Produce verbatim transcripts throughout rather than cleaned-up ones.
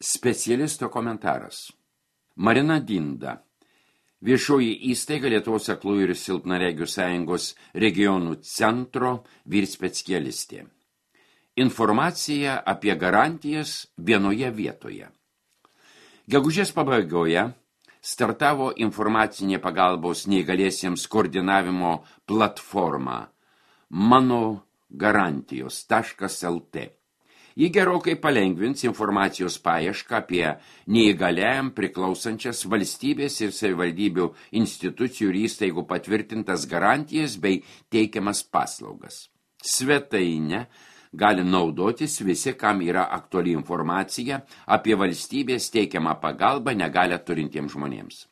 Specialisto komentaras. Marina Dinda. Viešoji įstaiga Lietuvos aklųjų ir silpnaregių sąjungos regionų centro vyrspecialistė. Informacija apie garantijas vienoje vietoje. Gegužės pabaigoje startavo informacinė pagalbos neįgaliesiems koordinavimo platforma mano garantijos taškas el tė. Ji gerokai palengvins informacijos paiešką apie neįgaliajam priklausančias valstybės ir savivaldybių institucijų ir įstaigų patvirtintas garantijas bei teikiamas paslaugas. Svetainę gali naudotis visi, kam yra aktuali informacija apie valstybės teikiamą pagalbą negalią turintiems žmonėms.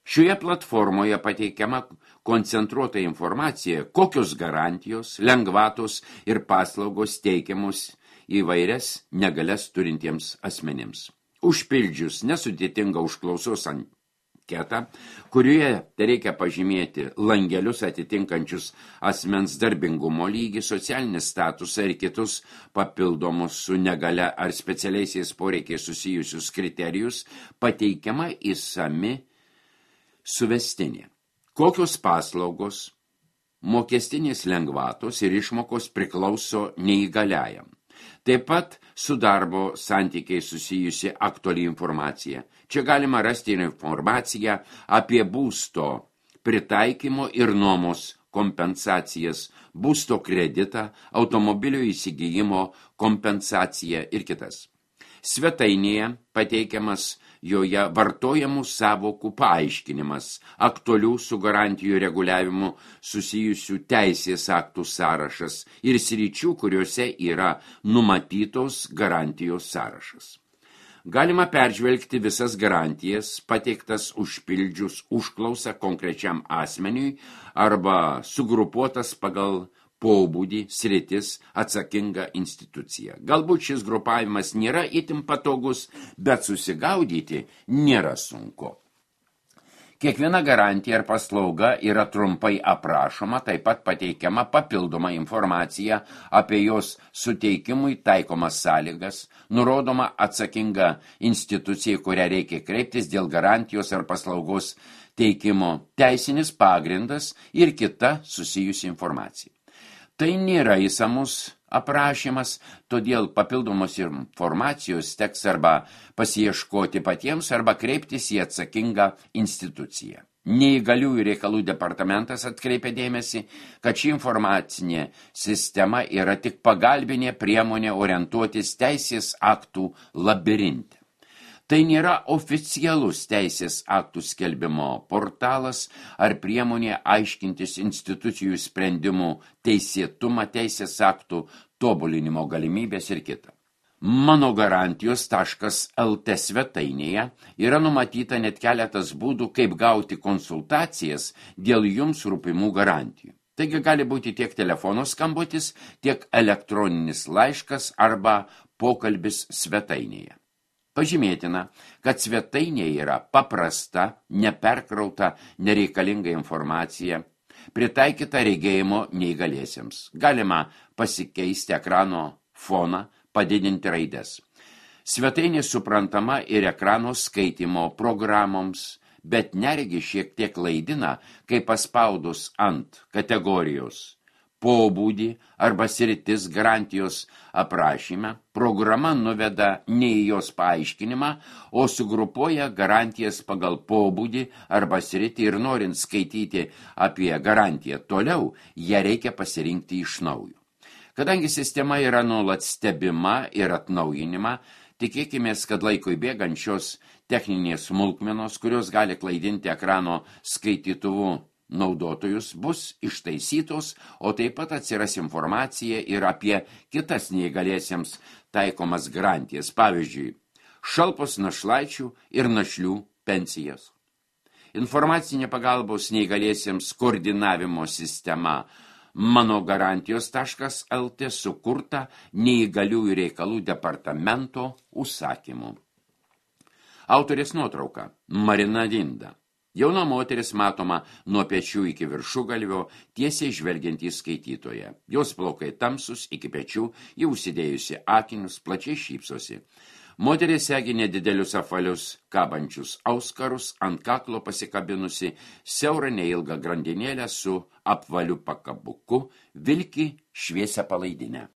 Šioje platformoje pateikiama koncentruota informacija, kokios garantijos, lengvatos ir paslaugos teikiamos įvairias negalias turintiems asmenims. Užpildžius nesudėtingą užklausos anketą, kurioje reikia pažymėti langelius atitinkančius asmens darbingumo lygį, socialinį statusą ir kitus papildomus su negalia ar specialiaisiais poreikiais susijusius kriterijus, pateikiama išsami suvestinė. Kokios paslaugos, mokestinės lengvatos ir išmokos priklauso neįgaliajam. Taip pat su darbo santykiai susijusi aktuali informacija. Čia galima rasti ir informaciją apie būsto pritaikymo ir nuomos kompensacijas, būsto kreditą, automobilio įsigijimo kompensaciją ir kitas. Svetainėje pateikiamas joje vartojamų savokų paaiškinimas, aktualių su garantijų reguliavimu susijusių teisės aktų sąrašas ir sričių, kuriuose yra numatytos garantijos sąrašas. Galima peržvelgti visas garantijas, pateiktas užpildžius užklausą konkrečiam asmeniui arba sugrupuotas pagal pobūdį, sritis, atsakinga institucija. Galbūt šis grupavimas nėra itin patogus, bet susigaudyti nėra sunku. Kiekviena garantija ar paslauga yra trumpai aprašoma, taip pat pateikiama papildoma informacija apie jos suteikimui taikomas sąlygas, nurodoma atsakinga institucija, kurią reikia kreiptis dėl garantijos ar paslaugos teikimo, teisinis pagrindas ir kita susijusi informacija. Tai nėra įsamus aprašymas, todėl papildomos informacijos teks arba pasiieškoti patiems, arba kreiptis į atsakingą instituciją. Neįgaliųjų reikalų departamentas atkreipia dėmesį, kad ši informacinė sistema yra tik pagalbinė priemonė orientuotis teisės aktų labirinte. Tai nėra oficialus teisės aktų skelbimo portalas ar priemonė aiškintis institucijų sprendimų teisėtumą, teisės aktų tobulinimo galimybės ir kita. Mano garantijos taškas el tė svetainėje yra numatyta net keletas būdų, kaip gauti konsultacijas dėl jums rūpimų garantijų. Taigi gali būti tiek telefono skambutis, tiek elektroninis laiškas arba pokalbis svetainėje. Pažymėtina, kad svetainėje yra paprasta, neperkrauta, nereikalinga informacija, pritaikyta regėjimo neįgaliesiems. Galima pasikeisti ekrano foną, padidinti raides. Svetainė suprantama ir ekrano skaitymo programoms, bet neregi šiek tiek klaidina, kai paspaudus ant kategorijos pobūdį arba sritis garantijos aprašyme, programa nuveda ne į jos paaiškinimą, o sugrupuoja garantijas pagal pobūdį arba sritį ir norint skaityti apie garantiją toliau, ją reikia pasirinkti iš naujo. Kadangi sistema yra nuolat stebima ir atnaujinima, tikėkimės, kad laikui bėgant šios techninės smulkmenos, kurios gali klaidinti ekrano skaitytuvu naudotojus, bus ištaisytos, o taip pat atsiras informacija ir apie kitas neįgaliesiems taikomas garantijas, pavyzdžiui, šalpos našlaičių ir našlių pensijas. Informacinė pagalbos neįgaliesiems koordinavimo sistema mano garantijos taškas el tė sukurta neįgaliųjų reikalų departamento užsakymu. Autorės nuotrauka Marina Dinda. Jauna moteris matoma nuo pečių iki viršugalvio, tiesiai žvelgiant į skaitytoją. Jos plaukai tamsus iki pečių, ji užsidėjusi akinius, plačiai šypsosi. Moteris segi nedidelius apvalius kabančius auskarus, ant kaklo pasikabinusi siaurą neilgą grandinėlę su apvaliu pakabuku, vilki šviesią palaidinę.